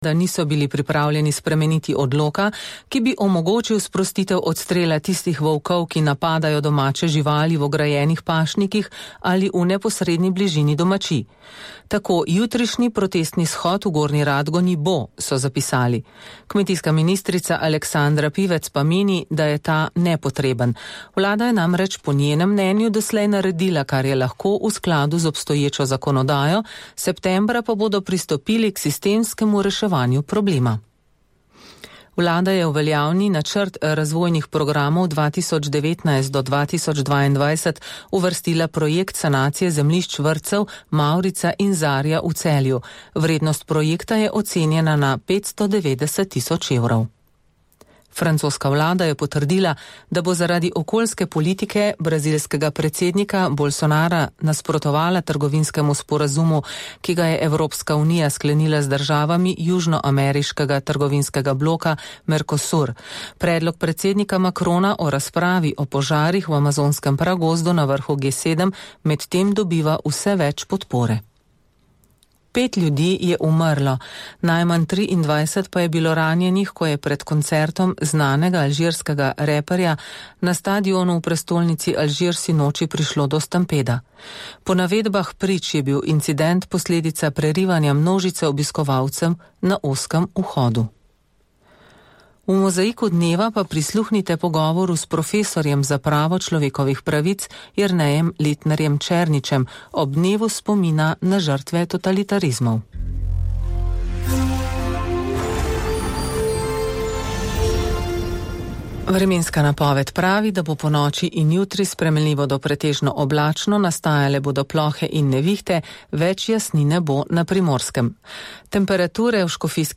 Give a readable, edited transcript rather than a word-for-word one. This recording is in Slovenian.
da niso bili pripravljeni spremeniti odloka, ki bi omogočil sprostitev odstrela tistih volkov, ki napadajo domače živali v ograjenih pašnikih ali v neposredni bližini domačij. Tako jutrišnji protestni shod v Gornji Radgoni bo, so zapisali. Kmetijska ministrica Aleksandra Pivec pa meni, da je ta nepotreben. Vlada je namreč po njenem mnenju doslej naredila, kar je lahko v skladu z obstoječo zakonodajo, septembra pa bodo pristopili k sistemskemu reševanju problema. Vlada je v veljavni načrt razvojnih programov 2019 do 2022 uvrstila projekt sanacije zemljišč vrtcev Mavrica in Zarja v Celju. Vrednost projekta je ocenjena na 590 tisoč evrov. Francoska vlada je potrdila, da bo zaradi okoljske politike brazilskega predsednika Bolsonara nasprotovala trgovinskemu sporazumu, ki ga je Evropska unija sklenila z državami južnoameriškega trgovinskega bloka Mercosur. Predlog predsednika Macrona o razpravi o požarih v amazonskem pragozdu na vrhu G7 medtem dobiva vse več podpore. 5 ljudi je umrlo, najmanj 23 pa je bilo ranjenih, ko je pred koncertom znanega alžirskega reperja na stadionu v prestolnici Alžir sinoči prišlo do stampeda. Po navedbah prič je bil incident posledica prerivanja množice obiskovalcem na ozkem vhodu. V mozaiku dneva pa prisluhnite pogovoru s profesorjem za pravo človekovih pravic Jernejem Letnerjem Černičem ob dnevu spomina na žrtve totalitarizmov. Vremenska napoved pravi, da bo po noči in jutri spremenljivo do pretežno oblačno, nastajale bodo plohe in nevihte, več jasnine bo na Primorskem. Temperature v Škofijski